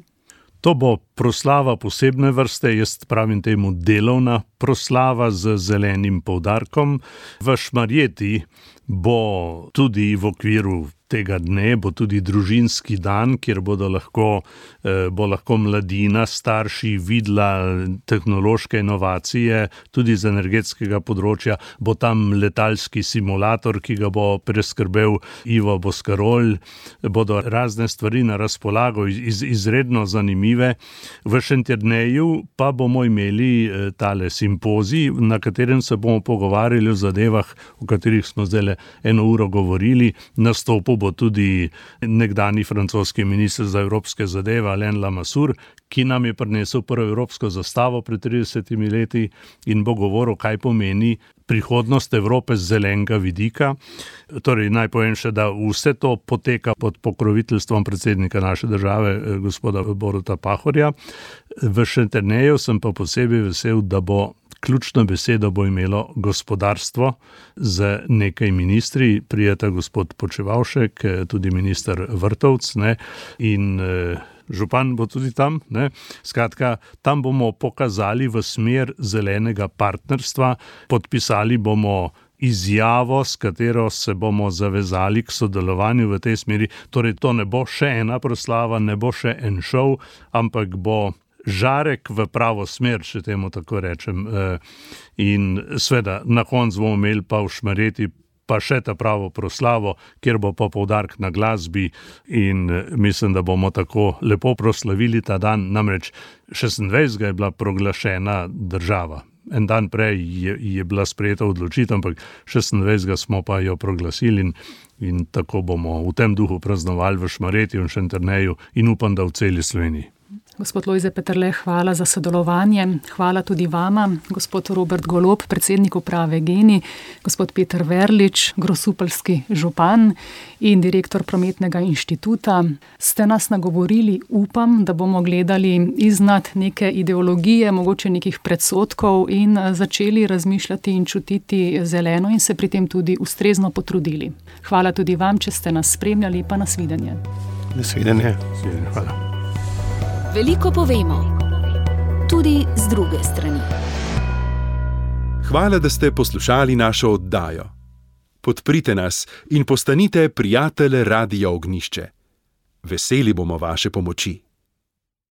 To bo proslava posebne vrste, jaz pravim temu delovna proslava z zelenim poudarkom. V Šmarjeti bo tudi v okviru tega dne, bo tudi družinski dan, kjer bodo lahko, eh, bo lahko mladina, starši videla tehnološke inovacije, tudi z energetskega področja. Bo tam letalski simulator, ki ga bo preskrbel Ivo Boskarol. Bodo razne stvari na razpolago, iz, izredno zanimive. V Šentjerneju pa bomo imeli eh, tale simpozij, na katerem se bomo pogovarjali o zadevah, o katerih smo zdaj eno uro govorili. Nastopil bo tudi nekdani francoski minister za evropske zadeve Alain Lamassoure, ki nam je prinesel prvo evropsko zastavo pred tridesetimi leti in bo govoril, kaj pomeni prihodnost Evrope z zelenega vidika. Torej, naj povem še, da vse to poteka pod pokroviteljstvom predsednika naše države, gospoda Boruta Pahorja. V Šentjerneju sem pa posebej vesel, da bo ključno besedo bo imelo gospodarstvo z nekaj ministri, prijeta gospod Počevalšek, tudi minister Vrtovc, ne, in eh, župan bo tudi tam. Ne. Skratka, tam bomo pokazali v smer zelenega partnerstva, podpisali bomo izjavo, s katero se bomo zavezali k sodelovanju v tej smeri. Torej, to ne bo še ena proslava, ne bo še en šov, ampak bo žarek v pravo smer, če temu tako rečem. In seveda, na koncu bomo imeli pa v Šmarjeti pa še ta pravo proslavo, kjer bo pa poudarek na glasbi in mislim, da bomo tako lepo proslavili ta dan. Namreč šestindvajsetega je bila proglašena država. En dan prej je, je bila sprejeta odločitev, ampak šestindvajsetega smo pa jo proglasili in, in tako bomo v tem duhu praznovali v Šmarjeti in Šentjerneju in upam, da v celi Sloveniji. Gospod Lojze Peterle, hvala za sodelovanje. Hvala tudi vama, gospod Robert Golob, predsednik uprave Geni, gospod Peter Verlič, grosupeljski župan in direktor Prometnega inštituta. Ste nas nagovorili, upam, da bomo gledali iznad neke ideologije, mogoče nekih predsodkov in začeli razmišljati in čutiti zeleno in se pri tem tudi ustrezno potrudili. Hvala tudi vam, če ste nas spremljali, pa nasvidenje. Nasvidenje. Hvala. Veliko povemo, tudi z druge strani. Hvala, da ste poslušali našo oddajo. Podprite nas in postanite prijatelj Radia Ognjišče. Veseli bomo vaše pomoči.